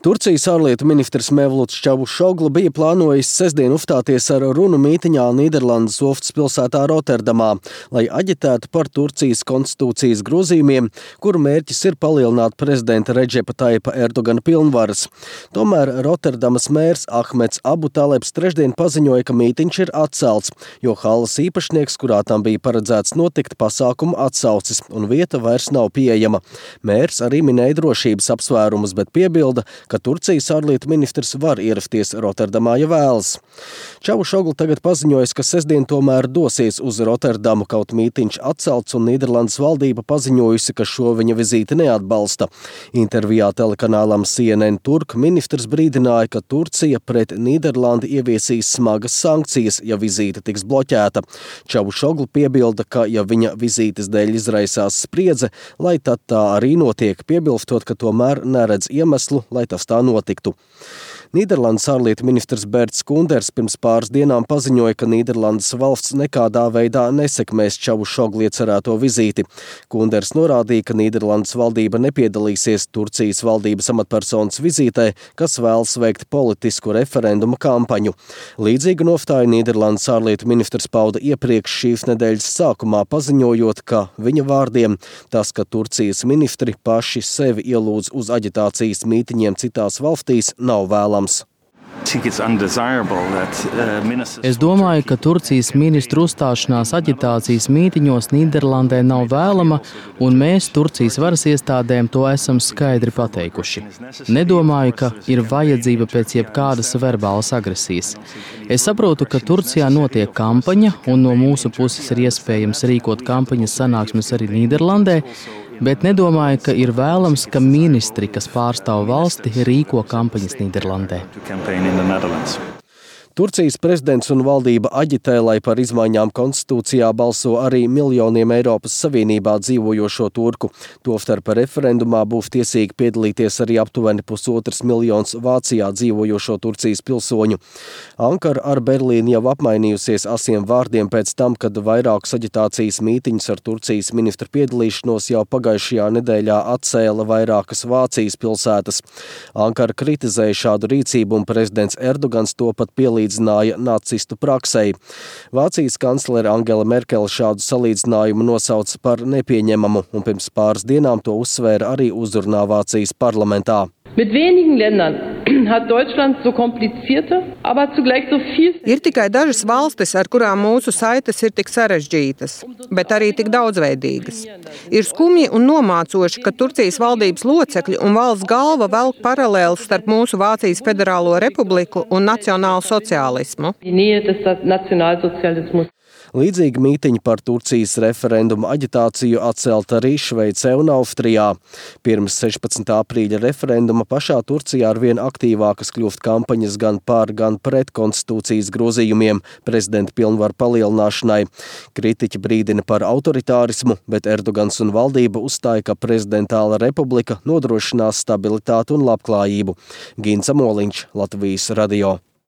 Turcijas ārlietu ministrs Mevluts Čavusoglu bija plānojis sestdien uzstāties ar runu mītiņā Nīderlandes ostas pilsētā Rotterdamā, lai aģitētu par Turcijas konstitūcijas grozījumiem, kuru mērķis ir palielināt prezidenta Redžepa Tayyipa Erdogana pilnvaras. Tomēr Rotterdamas mērs Ahmeds Abu Talebs trešdien paziņoja, ka mītiņš ir atcelts, jo halles īpašnieks, kurā tam bija paredzēts notikt, pasākumu atsaucis un vieta vairs nav pieejama. Mērs arī minēja drošības apsvērumus, bet piebilda, ka Turcijas ārlietu ministrs var ierasties Rotterdamā, ja vēlas. Čavusoglu tagad paziņojas, ka sestdien tomēr dosies uz Rotterdamu, kaut mītiņš atcelts un Nīderlandes valdība paziņojusi, ka šo viņa vizīti neatbalsta. Intervijā telekanālam CNN Turk ministrs brīdināja, ka Turcija pret Nīderlandi ieviesīs smagas sankcijas, ja vizīte tiks bloķēta. Čavusoglu piebilda, ka ja viņa vizītes dēļ izraisās spriedze, lai tad tā arī notiek, piebilstot, ka tomēr neredz iemeslu, lai tas tā notiktu. Nīderlandes ārlietu ministrs Berts Kunders pirms pāris dienām paziņoja, ka Nīderlandes valsts nekādā veidā nesekmēs Čavusoglu iecerēto vizīti. Kunders norādīja, ka Nīderlandes valdība nepiedalīsies Turcijas valdības amatpersonas vizītē, kas vēlas veikt politisku referenduma kampaņu. Līdzīgu nostāju Nīderlandes ārlietu ministrs pauda iepriekš šīs nedēļas sākumā, paziņojot, ka viņa vārdiem tas, ka Turcijas ministri paši sevi ielūdz uz aģitācijas mītiņiem citās valstīs, nav vēlams. Es domāju, ka Turcijas ministru uzstāšanās aģitācijas mītiņos Nīderlandē nav vēlama, un mēs Turcijas varas iestādēm to esam skaidri pateikuši. Nedomāju, ka ir vajadzība pēc jebkādas verbālas agresijas. Es saprotu, ka Turcijā notiek kampaņa, un no mūsu puses ir iespējams rīkot kampaņas sanāksmes arī Nīderlandē, bet nedomāju, ka ir vēlams, ka ministri, kas pārstāv valsti, rīko kampaņas Nīderlandē. Turcijas prezidents un valdība aģitē, lai par izmaiņām konstitūcijā balso arī miljoniem Eiropas Savienībā dzīvojošo turku. Tostarp referendumā būs tiesīgi piedalīties arī aptuveni 1,5 miljons Vācijā dzīvojošo Turcijas pilsoņu. Ankara ar Berlīnu jau apmainījusies asiem vārdiem pēc tam, kad vairākus aģitācijas mītiņus ar Turcijas ministru piedalīšanos jau pagājušajā nedēļā atcēla vairākas Vācijas pilsētas. Ankara kritizēja šādu rīcību un prezidents Erdogans to pat pielīdzināja nacistu praksei. Vācijas kanclere Angela Merkele šādu salīdzinājumu nosauca par nepieņemamu un pirms pāris dienām to uzsvēra arī uzrunā Vācijas parlamentā. Mit wenigen Ländern hat Deutschland so komplizierte, aber zugleich so viel. Ir tikai dažas valstis, ar kurām mūsu saites ir tik sarežģītas, bet arī tik daudzveidīgas. Ir skumji un nomācoši, ka Turcijas valdības locekļi un valsts galva velk paralēlis starp mūsu Vācijas Federālo Republiku un nacionālu sociālismu. Līdzīgi mītiņi par Turcijas referendumu aģitāciju atcelt arī Šveicē un Austrijā. Pirms 16. aprīļa referenduma pašā Turcijā arvien aktīvākas kļūst kampaņas gan par, gan pret konstitūcijas grozījumiem prezidenta pilnvaru palielināšanai. Kritiķi brīdina par autoritārismu, bet Erdogans un valdība uzstāja, ka prezidentāla republika nodrošinās stabilitāti un labklājību. Gins Amoliņš, Latvijas radio.